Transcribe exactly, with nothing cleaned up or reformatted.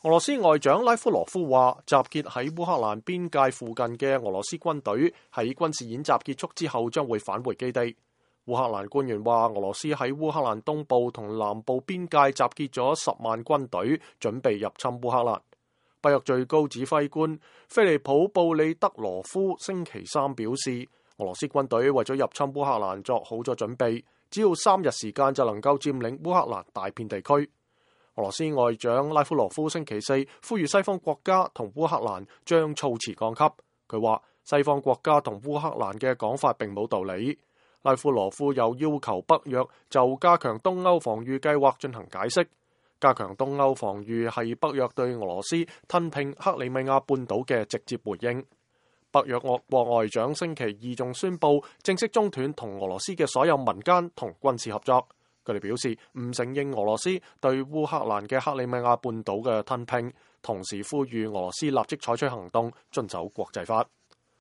俄羅斯外長拉夫羅夫話，集結喺烏克蘭邊界附近嘅俄羅斯軍隊喺軍事演習結束之後將會返回基地。烏克蘭官員話，俄羅斯喺烏克蘭東部同南部邊界集結咗十萬軍隊，準備入侵烏克蘭。北約最高指揮官菲利普·布里德羅夫星期三表示，俄羅斯軍隊為咗入侵烏克蘭作好咗準備，只要三日時間就能夠佔領烏克蘭大片地區。俄羅斯外長拉夫羅夫星期四呼籲西方國家同烏克蘭將措辭降級。佢話西方國家同烏克蘭嘅講法並冇道理。拉夫羅夫又要求北約就加強東歐防禦計劃進行解釋。加強東歐防禦係北約對俄羅斯吞併克里米亞半島嘅直接回應。北約俄國外長星期二仲宣布正式中斷同俄羅斯嘅所有民間同軍事合作。佢哋表示唔承認俄羅斯對烏克蘭嘅克里米亞半島嘅吞併，同時呼籲俄羅斯立即採取行動，遵守國際法。